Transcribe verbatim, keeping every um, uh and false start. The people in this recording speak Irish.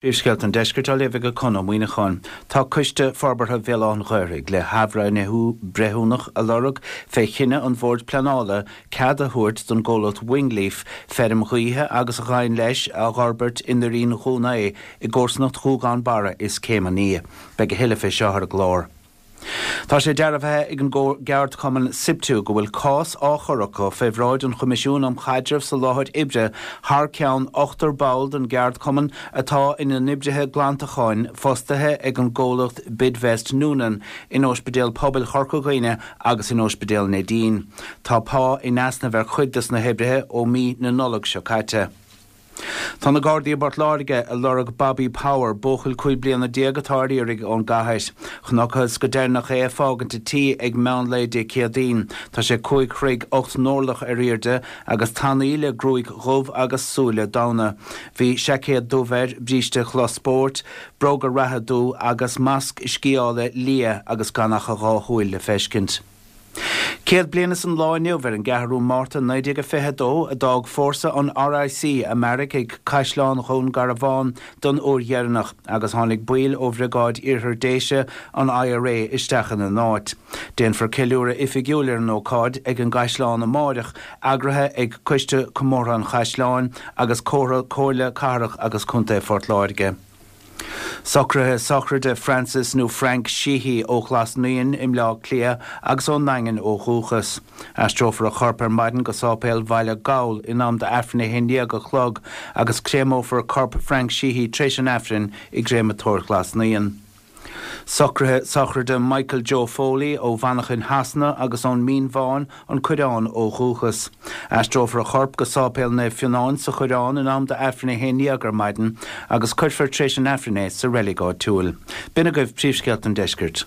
Príomhscéalta an Deiscirt á léamh ag Conn Ó Muíneacháin. Tá Coiste Forbartha Bhéal Átha an Ghaorthaidh le hathbhreithniú breithiúnach a lorg fé chinneadh an Bhoird Pleanála cead a thabhairt don gcomhlacht Wingleaf feirm ghaoithe agus a ghabhann leis a fhorbairt i nDoirín Dhún Aodha i gcomharsanacht Ghuagán Barra is Céim an Fhia. Beidh a thuilleadh fé seo ar an gclár. Tá sé dearbhaithe ag an gceardchumann SIPTU go bhfuil cás á chur acu fé bhráid an Choimisiúin um Chaidreamh sa Láthair Oibre thar ceann ochtar ball den gceardchumann atá ina n-oibrithe glantacháin fostaithe ag an gcomhlacht Bidvest Noonan in Ospidéal Pobail Chorca Dhuibhne agus in Ospidéal Neidín. Tá pá in easnamh ar chuid des na hoibrithe ó mí na Nollag seo caite. Tá na Gardaí i bPort Láirge ag lorg Bobby Power, buachaill cúig bliana déag atá ar iarraidh ón gcathair. Chonacthas go deireanach é ag fágaint a tí ag meán lae Dé Céadaoin. Tá sé cúig throigh ocht n-orlach ar airde agus tanaí le gruaig dhubh agus súile donn. Bhí seaicéad dubh air, bríste cloth spóirt, bróga reatha dubh agus masc sciála liath agus gan ach a dhá shúil le feiscint. Céad bliain is an lá inniu ar an gceathrú Márta naoi déag a fiche a dó a d'fhág fórsa an RIC a mbeairic ag Caisleán Dhún Garbhán don uair dheireanach agus tháinig baill ó Bhriogáid Iarthar Déise an IRA isteach ina n-áit. Déanfar ceiliúradh oifigiúil ar an ócáid ag an gCaisleán amáireach, eagraithe ag Coiste Comórtha an Chaisleáin agus Comhairle Cathrach agus Contae Phort Láirge. Socruithe sochraide Francis nó Frank Sheehy ó Ghlas Naíon i mBleá Cliath agus ón nDaingean ó dhúchas. Aistreofar a chorp ar maidin go Sáipéal Bhaile Gabhal in am d'Aifreann a haon déag a chlog agus créamófar corp Frank Sheehy tréis an Aifrinn i gCréamatóir Ghlas Naíon. Socruithe sochraide Michael Joe Foley ó Mhanchain Shasana agus ón Mín Bhán, an Coireán ó dhúchas. Aistreofar a chorp go Sáipéal Naomh Fionán sa Choireán in am d'Aifreann a haon déag ar maidin agus cuirfear tréis an Aifrinn é sa reilig áitiúil. B'in agaibh príomhscéalta an deiscirt.